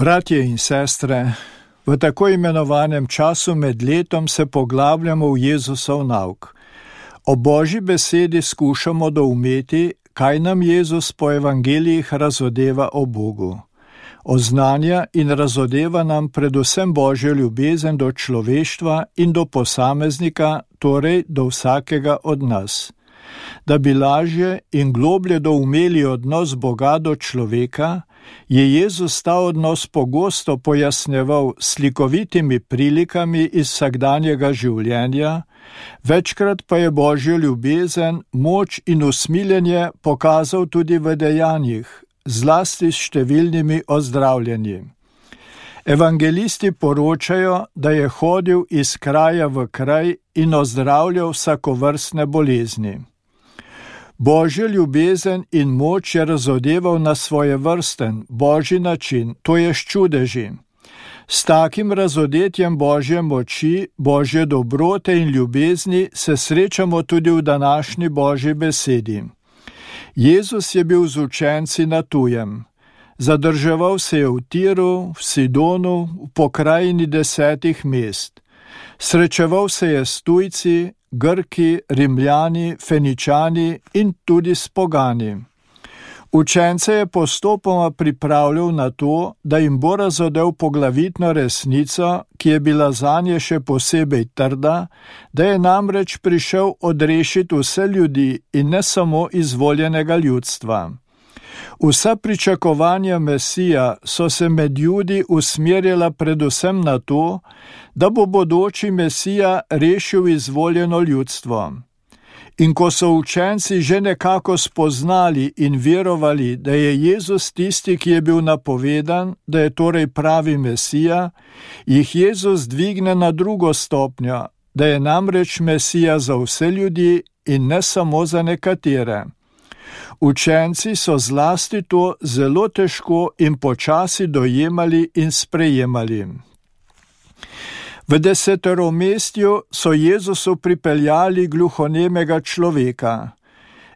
Bratje in sestre, v tako imenovanem času med letom se poglabljamo v Jezusov nauk. O Božji besedi skušamo doumeti, kaj nam Jezus po evangelijih razodeva o Bogu. Oznanja in razodeva nam predvsem Božjo ljubezen do človeštva in do posameznika, torej do vsakega od nas. Da bi lažje in globlje doumeli odnos Boga do človeka, je Jezus ta odnos pogosto pojasnjeval s slikovitimi prilikami iz vsakdanjega življenja, večkrat pa je Božjo ljubezen, moč in usmiljenje pokazal tudi v dejanjih, zlasti s številnimi ozdravljenji. Evangelisti poročajo, da je hodil iz kraja v kraj in ozdravljal vsakovrstne bolezni. Božjo ljubezen in moč je razodeval na svojevrsten, božji način, to je s čudeži. S takim razodetjem Božje moči, Božje dobrote in ljubezni se srečamo tudi v današnji Božji besedi. Jezus je bil z učenci na tujem. Zadrževal se je v Tiru, v Sidonu, v pokrajini 10 mest. Srečeval se je s tujci, Grki, Rimljani, Feničani in tudi s pogani. Učence je postopoma pripravljal na to, da jim bo razodel poglavitno resnico, ki je bila zanje še posebej trda, da je namreč prišel odrešiti vse ljudi in ne samo izvoljenega ljudstva. Vsa pričakovanja Mesija so se med Judi usmerjala predvsem na to, da bo bodoči Mesija rešil izvoljeno ljudstvo. In ko so učenci že nekako spoznali in verovali, da je Jezus tisti, ki je bil napovedan, da je torej pravi Mesija, jih Jezus dvigne na drugo stopnjo, da je namreč Mesija za vse ljudi in ne samo za nekatere. Učenci so zlasti to zelo težko in počasi dojemali in sprejemali. V deseteromestju so Jezusu pripeljali gluhonemega človeka.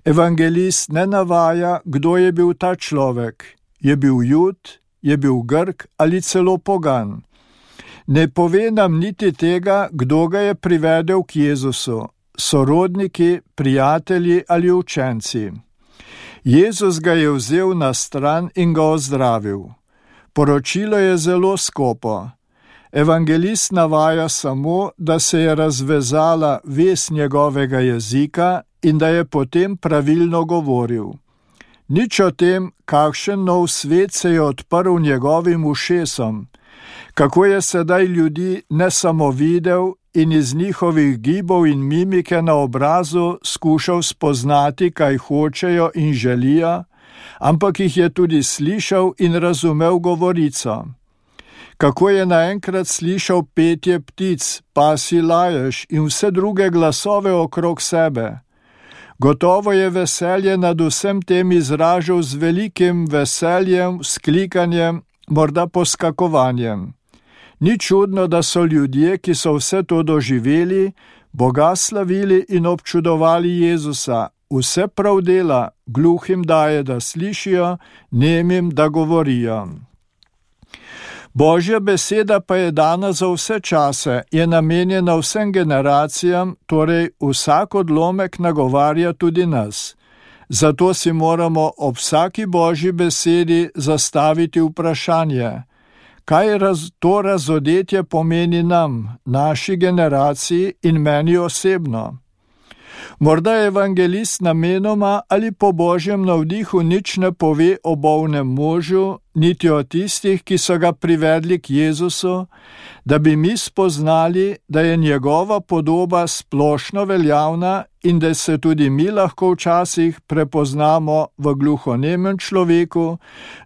Evangelist ne navaja, kdo je bil ta človek. Je bil Jud, je bil Grk ali celo pogan. Ne pove nam niti tega, kdo ga je privedel k Jezusu, sorodniki, prijatelji ali učenci. Jezus ga je vzel na stran in ga ozdravil. Poročilo je zelo skopo. Evangelist navaja samo, da se je razvezala vez njegovega jezika in da je potem pravilno govoril. Nič o tem, kakšen nov svet se je odprl njegovim ušesom, kako je sedaj ljudi ne samo videl in iz njihovih gibov in mimike na obrazu skušal spoznati, kaj hočejo in želijo, ampak jih je tudi slišal in razumel govorico. Kako je naenkrat slišal petje ptic, pasji lajež in vse druge glasove okrog sebe. Gotovo je veselje nad vsem tem izražal z velikim veseljem, vzklikanjem, morda poskakovanjem. Ni čudno, da so ljudje, ki so vse to doživeli, Boga slavili in občudovali Jezusa. Vse prav dela, gluhim daje, da slišijo, nemim, da govorijo. Božja beseda pa je dana za vse čase, je namenjena vsem generacijam, torej vsak odlomek nagovarja tudi nas. Zato si moramo ob vsaki Božji besedi zastaviti vprašanje, kaj to razodetje pomeni nam, naši generaciji in meni osebno. Morda evangelist namenoma ali po Božjem navdihu nič ne pove o bolnem možu, niti o tistih, ki so ga privedli k Jezusu, da bi mi spoznali, da je njegova podoba splošno veljavna in da se tudi mi lahko včasih prepoznamo v gluhonemem človeku,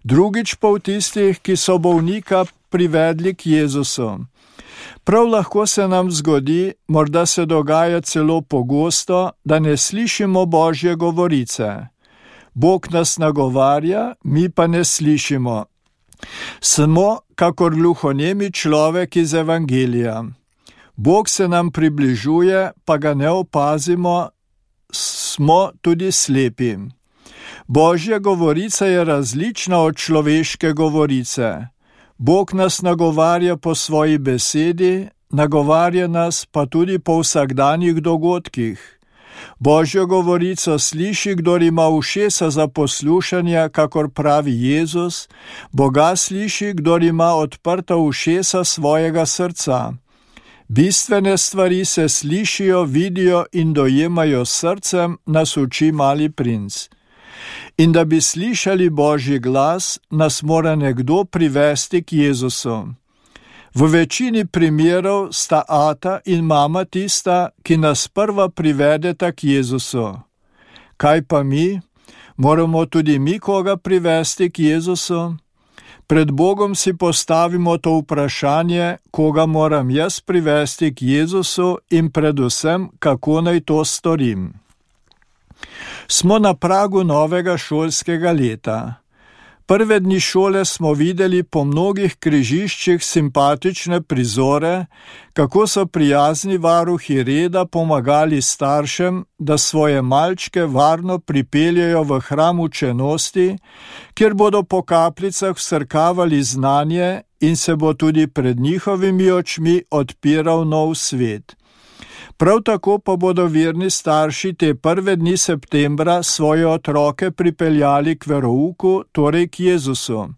drugič pa v tistih, ki so bolnika privedli k Jezusu. Prav lahko se nam zgodi, morda se dogaja celo pogosto, da ne slišimo Božje govorice. Bog nas nagovarja, mi pa ne slišimo. Smo kakor gluhonemi človek iz evangelija. Bog se nam približuje, pa ga ne opazimo, smo tudi slepi. Božja govorica je različna od človeške govorice. Bog nas nagovarja po svoji besedi, nagovarja nas pa tudi po vsakdanjih dogodkih. Božjo govorico sliši, kdor ima ušesa za poslušanje, kakor pravi Jezus, Boga sliši, kdor ima odprta ušesa svojega srca. Bistvene stvari se slišijo, vidijo in dojemajo s srcem, nas uči Mali princ. In da bi slišali Božji glas, nas mora nekdo privesti k Jezusu. V večini primerov sta ata in mama tista, ki nas prva privedeta k Jezusu. Kaj pa mi? Moramo tudi mi koga privesti k Jezusu? Pred Bogom si postavimo to vprašanje, koga moram jaz privesti k Jezusu in predvsem, kako naj to storim. Smo na pragu novega šolskega leta. Prve dni šole smo videli po mnogih križiščih simpatične prizore, kako so prijazni varuhi reda pomagali staršem, da svoje malčke varno pripeljejo v hram učenosti, kjer bodo po kapljicah vsrkavali znanje in se bo tudi pred njihovimi očmi odpiral nov svet. Prav tako pa bodo verni starši te prve dni septembra svoje otroke pripeljali k verouku, torej k Jezusu.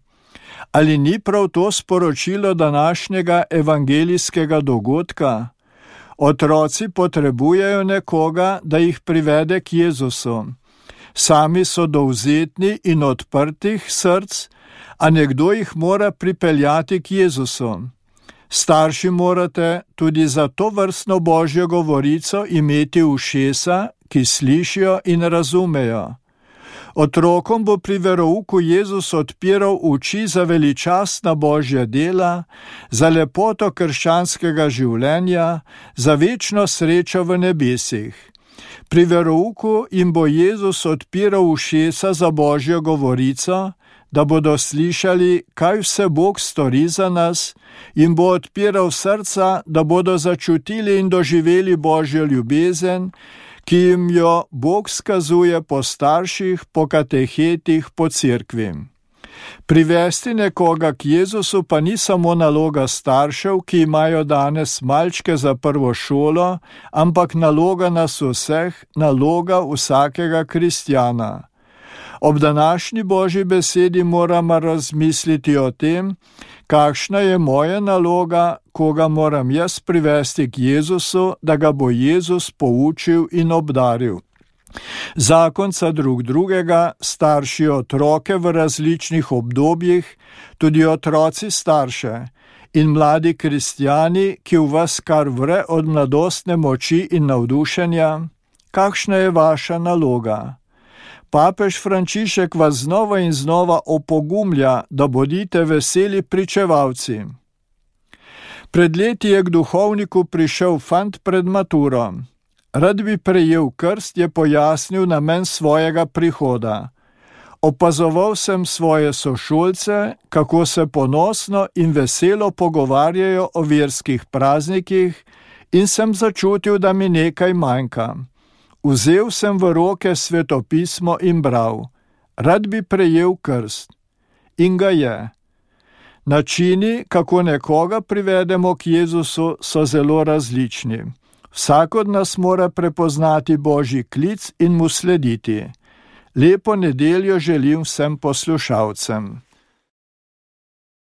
Ali ni prav to sporočilo današnjega evangelijskega dogodka? Otroci potrebujejo nekoga, da jih privede k Jezusu. Sami so dovzetni in odprtih src, a nekdo jih mora pripeljati k Jezusu. Starši morate tudi za to vrstno Božjo govorico imeti ušesa, ki slišijo in razumejo. Otrokom bo pri verouku Jezus odpiral oči za veličastna Božja dela, za lepoto krščanskega življenja, za večno srečo v nebesih. Pri verouku jim bo Jezus odpiral ušesa za Božjo govorico, da bodo slišali, kaj vse Bog stori za nas, jim bo odpiral srca, da bodo začutili in doživeli Božjo ljubezen, ki jim jo Bog skazuje po starših, po katehetih, po cerkvi. Privesti nekoga k Jezusu pa ni samo naloga staršev, ki imajo danes malčke za prvo šolo, ampak naloga nas vseh, naloga vsakega kristjana. Ob današnji Božji besedi moramo razmisliti o tem, kakšna je moja naloga, koga moram jaz privesti k Jezusu, da ga bo Jezus poučil in obdaril. Zakonca drug drugega, starši otroke v različnih obdobjih, tudi otroci starše in mladi kristjani, ki v vas kar vre od mladostne moči in navdušenja. Kakšna je vaša naloga? Papež Frančišek vas znova in znova opogumlja, da bodite veseli pričevalci. Pred leti je k duhovniku prišel fant pred maturo. Rad bi prejel krst, je pojasnil namen svojega prihoda. Opazoval sem svoje sošolce, kako se ponosno in veselo pogovarjajo o verskih praznikih, in sem začutil, da mi nekaj manjka. Vzel sem v roke svetopismo in bral. Rad bi prejel krst. In ga je. Načini, kako nekoga privedemo k Jezusu, so zelo različni. Vsak od nas mora prepoznati Božji klic in mu slediti. Lepo nedeljo želim vsem poslušalcem.